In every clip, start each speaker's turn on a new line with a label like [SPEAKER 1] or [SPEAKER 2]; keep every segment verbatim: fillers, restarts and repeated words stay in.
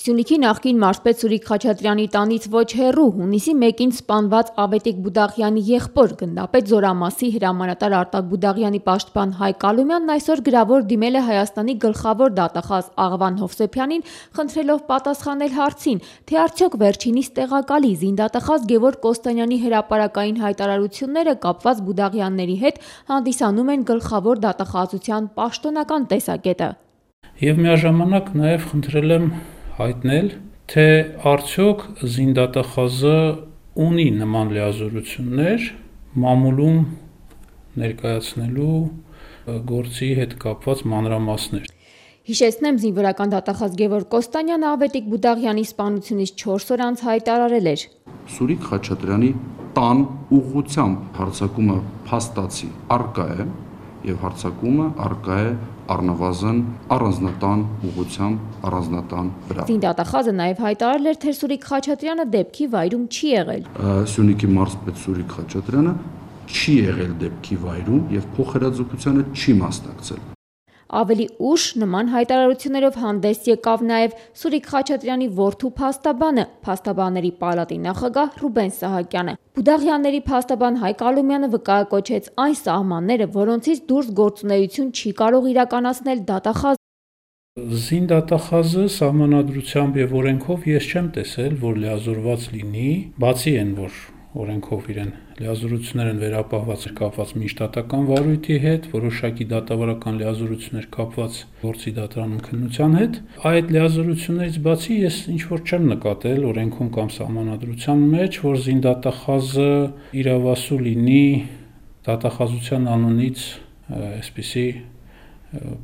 [SPEAKER 1] Սյունիքի նախկին մարզպետ Սուրիկ Խաչատրյանի տանից ոչ հեռու հունիսի մեկին սպանված Ավետիք Բուդաղյանի եղբոր գնդապետ Զորամասի հրամանատար Արտակ Բուդաղյանի պաշտպան Հայկ Ալումյանն այսօր գրավոր դիմել է Հայաստանի գլխավոր դատախազ Աղվան Հովսեփյանին, խնդրելով պատասխանել հարցին, թե արդյոք վերջինիս տեղակալի զինդատախազ Գևորգ Կոստանյանի հրապարակային հայտարարությունները կապված Բուդաղյանների հետ հանդիսանում են գլխավոր դատախազության պաշտոնական տեսակետը։
[SPEAKER 2] Եվ միաժամանակ նաև խնդրել եմ հայտնել, թե արդյոք զինդատախազը ունի նման լիազորություններ մամուլում ներկայացնելու գործի հետ կապված մանրամասներ։
[SPEAKER 1] Հիշեցնեմ, զինվորական դատախազ Գևորգ Կոստանյանը Ավետիք Բուդաղյանի սպանությունից չորս օր անց հայտարարել էր.
[SPEAKER 3] Սուրիկ Խաչատրյանի տան ուղղությամբ հարձակումը փաստացի առկա է եւ հարձակումը առկա է առնվազն առանձնատան ուղղությամբ առանձնատան վրա։
[SPEAKER 1] Զինդատախազը նաև հայտարարել էր, թե Սուրիկ Խաչատրյանը դեպքի վայրում չի եղել։
[SPEAKER 3] Սյունիքի մարզպետ Սուրիկ Խաչատրյանը չի եղել դեպքի վայրում եւ փոխհրաձգությանը չի մասնակցել։
[SPEAKER 1] Ավելի ուշ նման հայտարարություններով հանդես եկավ նաև Սուրիկ Խաչատրյանի որդու փաստաբանը, փաստաբանների պալատի նախագահ Ռուբեն Սահակյանը։ Բուդաղյանների փաստաբան Հայկ Ալումյանը վկայակոչեց այն սահմանները, որոնցից դուրս գործունեություն չի կարող իրականացնել դատախազը։
[SPEAKER 2] Զինդատախազը սահմանադրությամբ եւ օրենքով ես չեմ տեսել, որ լիազորված լինի, բացի այն, որ օրենքով իրեն լիազորություններ են վերապահված կապված միջդատական վարույթի հետ, որոշակի դատավարական լիազորություններ կապված գործի դատարանում քննության հետ։ Այդ լիազորություններից բացի ես ինչ-որ չեմ նկատել օրենքում կամ սահմանադրության մեջ, որ զինդատախազը իրավասու լինի դատախազության անունից այսպիսի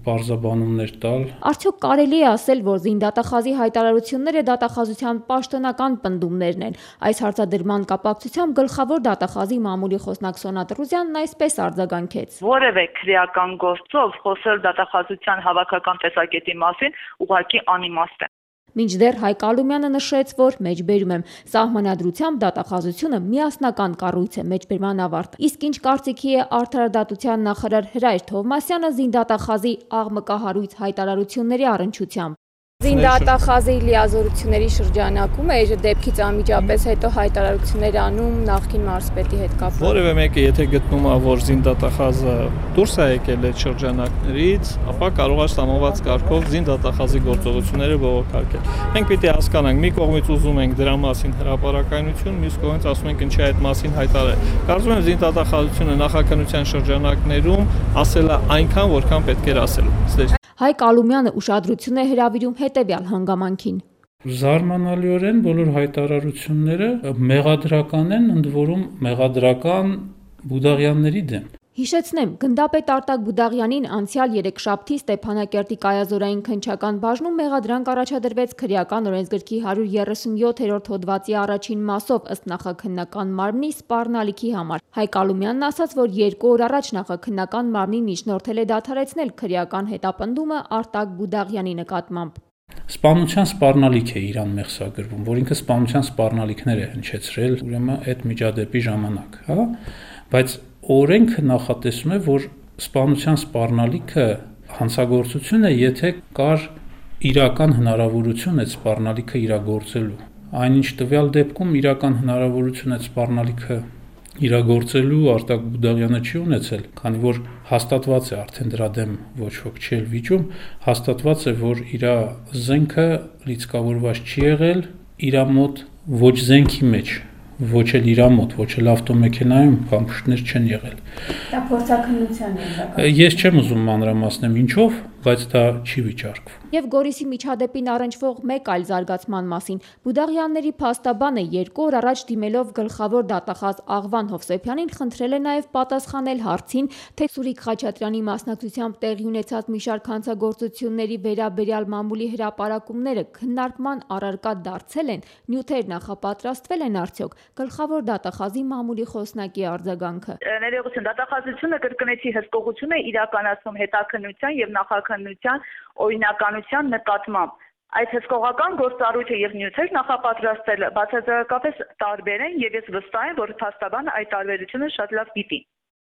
[SPEAKER 2] պարզաբանումներ տալ։
[SPEAKER 1] Արդյոք կարելի է ասել, որ զինդատախազի հայտարարությունները դատախազության պաշտոնական պնդումներն են։ Այս հարցադրման կապակցությամբ գլխավոր դատախազի մամուլի խոսնակ Սոնա Տրուզյանն այսպես արձագանքեց.
[SPEAKER 4] Որևէ քրեական գործով խոսել դատախազության հավաքական տեսակետի մասին ուղղակի անիմաստ է։
[SPEAKER 1] Մինչդեռ Հայկ Ալումյանը նշեց, որ մեջբերում եմ սահմանադրությամբ դատախազությունը միասնական կառույց է մեջբերման ավարտ։ Իսկ ինչ կարծիքի է արդարադատության նախարար Հրայր Թովմասյանը զինդատախազի աղմկահարույց հայտարարությունների առնչությամբ։ Զինդատախազի լիազորությունների շրջանակում է դեպքից անմիջապես հետո հայտարարություններ անում նախկին մարզպետի հետ կապված։
[SPEAKER 5] Որևէ մեկը եթե գտնում է, որ զինդատախազը դուրս է եկել այդ շրջանակներից, ապա կարող է ստամոված կարգով զինդատախազի գործողությունները բողոքարկել։ Մենք պիտի հասկանանք, մի կողմից ուզում ենք դրա մասին հրապարակայնություն, մյուս կողմից ասում ենք ինչի այդ մասին հայտարարել։ Կարծում եմ զինդատախազությունը նախաքննության շրջանակներում ասել է այնքան, որքան պետք էր ասել։
[SPEAKER 1] Հայկ Ալումյանը ուշադրություն է հրավիրում հետևյալ հանգամանքին։
[SPEAKER 2] Զարմանալիորեն բոլոր հայտարարությունները մեղադրական են, ընդ որում մեղադրական Բուդաղյանների դեմ։
[SPEAKER 1] Հիշեցնեմ, գնդապետ Արտակ Բուդաղյանին անցյալ երեքշաբթի Ստեփանակերտի կայազորային քննչական բաժնում մեղադրանք առաջադրվեց քրեական օրենսգրքի հարյուր երեսունյոթերորդ հոդվածի առաջին մասով ըստ նախաքննական մարմնի սպառնալիքի համար։ Հայկ Ալումյանն ասաց, որ երկու օր առաջ նախաքննական մարմնին միջնորդել է դադարեցնել քրեական հետապնդումը Արտակ Բուդաղյանի նկատմամբ։
[SPEAKER 2] Սպանության սպառնալիք է իրան մեղսագրվում, որ ինքը սպանության սպառնալիքներ է հնչեցրել, ուրեմն այդ միջադեպի ժամանակ, հա, բայց օրենքը նախատեսում է, որ սպանության սպառնալիքը հանցագործություն է, եթե կար իրական հնարավորություն այդ սպառնալիքը իրագործելու։ Այնինչ տվյալ դեպքում իրական հնարավորություն այդ սպառնալիքը իրագործելու Արտակ Բուդաղյանը չի ունեցել, քանի որ հաստատված է արդեն դրա դեմ ոչ ոք չի վիճում, հաստատված է, որ իր զենքը լիցքավորված չի եղել, իր մոտ ոչ զենքի մեջ, ոչ էլ իր մոտ, ոչ էլ ավտոմեքենայում փամփուշտներ չեն եղել։
[SPEAKER 1] Դա փորձաքննության է։
[SPEAKER 2] Ես չեմ ուզում մանրամասնեմ ինչով, բայց դա չի վիճարկվում։
[SPEAKER 1] Եվ Գորիսի միջադեպին առնչվող մեկ այլ զարգացման մասին Բուդաղյանների փաստաբանը երկու օր առաջ դիմելով գլխավոր դատախազ Աղվան Հովսեփյանին խնդրել է նաև պատասխանել հարցին, թե Սուրիկ Խաչատրյանի մասնակցությամբ տեղի ունեցած մի շարք հանցագործությունների վերաբերյալ մամուլի հրապարակումները քննարկման առարկա դարձել են, նյութեր նախապատրաստվել են արդյոք։ Գլխավոր դատախազի մամուլի խոսնակի արձագանքը։
[SPEAKER 4] Ներողություն, դատախազությունը կրկնեցի հսկողություն է իրականացնում հետաքննության եւ նախաքննության օրինականության նկատմամբ։ Այդ հսկողական գործառույթը եւ նյութեր նախապատրաստելը բացարձակապես տարբեր են եւ ես վստահ եմ, որ փաստաբանը այդ տարբերությունը շատ լավ գիտի։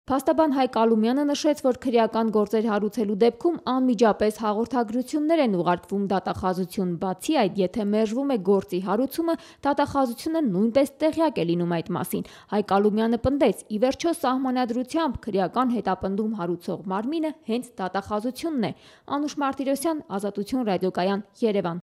[SPEAKER 1] Փաստաբան Հայկ Ալումյանը նշեց, որ քրեական գործեր հարուցելու դեպքում անմիջապես հաղորդագրություններ են ուղարկվում դատախազություն, բացի այդ, եթե մերժվում է գործի հարուցումը, դատախազությունը նույնպես տեղյակ է լինում այդ մասին։ Հայկ Ալումյանը պնդեց, ի վերջո սահմանադրությամբ քրեական հետապնդում հարուցող մարմինը հենց դատախազությունն է։ Անուշ Մարտիրոսյան, Ազատություն ռադիոկայան, Երևան։